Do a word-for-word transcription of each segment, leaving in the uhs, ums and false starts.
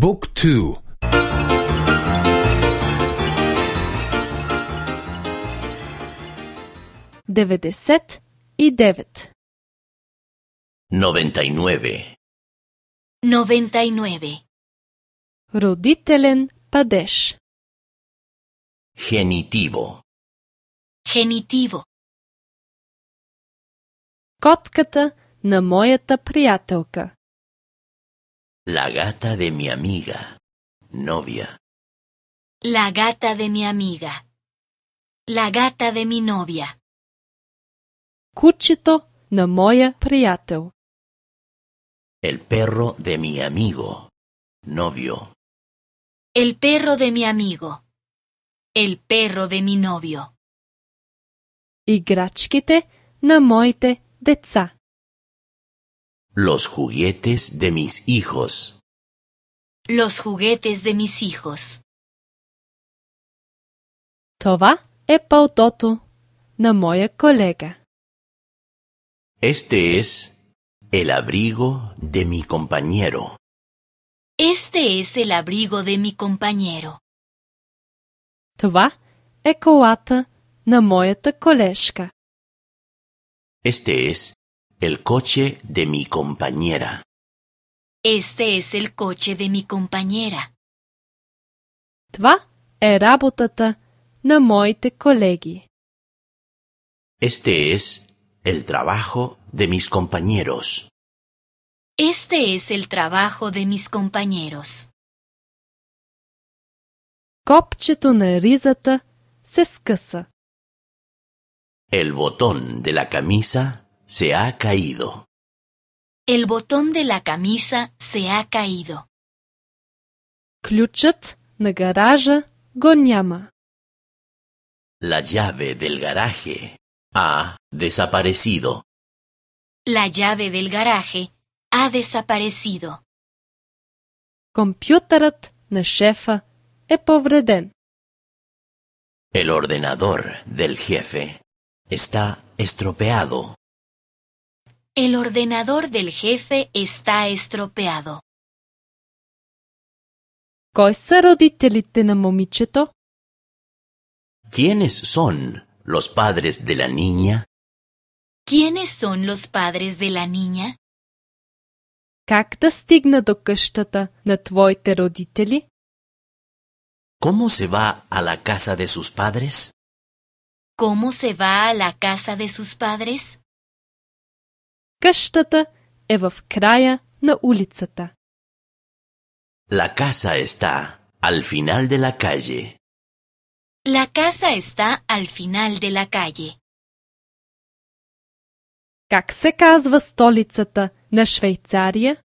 บุ๊กทูдеветдесет и девет. Noventa y nueve. Noventa y nueve. Родителен падеж. Genitivo. Genitivo. Котката на моята приятелка. La gata de mi amiga. Novia. La gata de mi amiga. La gata de mi novia. Кучето на моя приятел. El perro de mi amigo. Novio. El perro de mi amigo. El perro de mi novio. Играчките на моите деца. Los juguetes de mis hijos. Los juguetes de mis hijos. Това е палтото на моя колега. Este es el abrigo de mi compañero. Este es el abrigo de mi compañero. Това е колата на моята колежка. Este es el coche de mi compañera. Este es el coche de mi compañera. Това е работата на моите колеги. Este es el trabajo de mis compañeros. Este es el trabajo de mis compañeros. Копчето на ризата се скъса. El botón de la camisa se ha caído. El botón de la camisa se ha caído. Ключът на гаража го няма. La llave del garaje ha desaparecido. La llave del garaje ha desaparecido. Компютърът на шефа е повреден. El ordenador del jefe está estropeado. El ordenador del jefe está estropeado. Кой са родителите на момичето? ¿Quiénes son los padres de la niña? ¿Quiénes son los padres de la niña? Как да стигна до къщата на твоите родители? ¿Cómo se va a la casa de sus padres? ¿Cómo se va a la casa de sus padres? Къщата е в края на улицата. La casa está al final de la calle. La casa está al final de la calle. Как се казва столицата на Швейцария?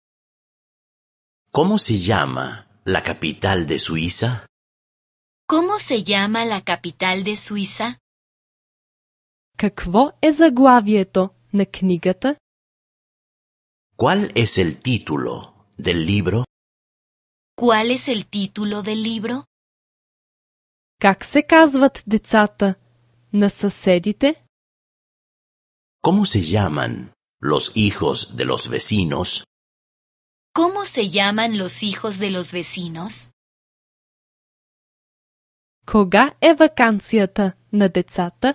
¿Cómo se llama la capital de Suiza? ¿Cómo se llama la capital de Suiza? Какво е заглавието на книгата? ¿Cuál es el título del libro? ¿Cuál es el título del libro? Как се казват децата на съседите? ¿Cómo se llaman los hijos de los vecinos? ¿Cómo se llaman los hijos de los vecinos? Кога е ваканцията на децата?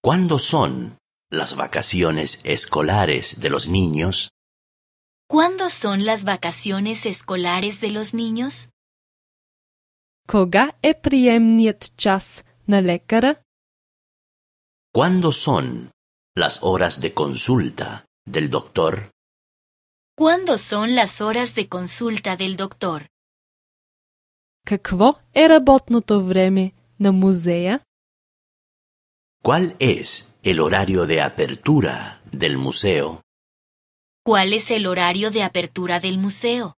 ¿Cuándo son las vacaciones escolares de los niños? ¿Cuándo son las vacaciones escolares de los niños? Кога е приемният час на лекара? ¿Cuándo son las horas de consulta del doctor? ¿Cuándo son las horas de consulta del doctor? Какво е работното време на музея? ¿Cuál es el horario de apertura del museo? ¿Cuál es el horario de apertura del museo?